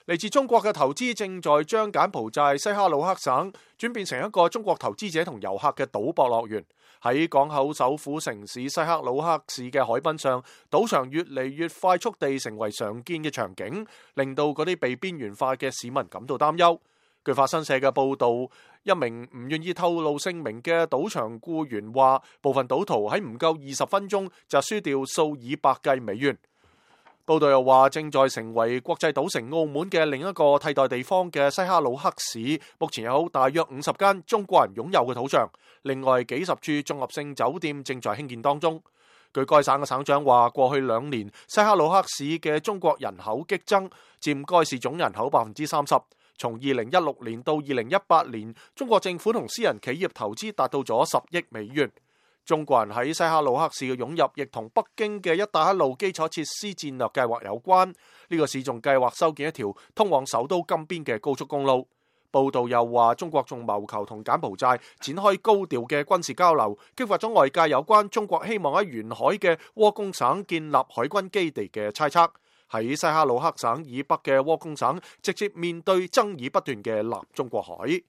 嚟自中國嘅投資正在將柬埔寨西哈努克省轉變成一個中國投資者同遊客嘅賭博樂園。喺港口首府城市西哈努克市嘅海濱上，賭場越嚟越快速地成為常見嘅場景，令到嗰啲被邊緣化嘅市民感到擔憂。據法新社嘅報導，一名唔願意透露姓名嘅賭場僱員話，部分賭徒喺唔夠20分鐘就輸掉數以百計美元。報道又話，正在成為國際賭城澳門嘅另一個替代地方嘅西哈努克市，目前有大約50間中國人擁有嘅賭場，另外幾十處綜合性酒店正在興建當中。據該省嘅省長話，過去2年西哈努克市嘅中國人口激增，佔該市總人口30%。從2016年到2018年，中國政府同私人企業投資達到咗10億美元。中國人喺西哈努克市嘅湧入，亦同北京嘅一帶一路基礎設施戰略計劃有關。呢個市仲計劃修建一條通往首都金邊嘅高速公路。報道又話，中國仲謀求同柬埔寨展開高調嘅軍事交流，激發咗外界有關中國希望喺沿海嘅窩公省建立海軍基地嘅猜測。喺西哈努克省以北嘅窩公省，直接面對爭議不斷嘅南中國海。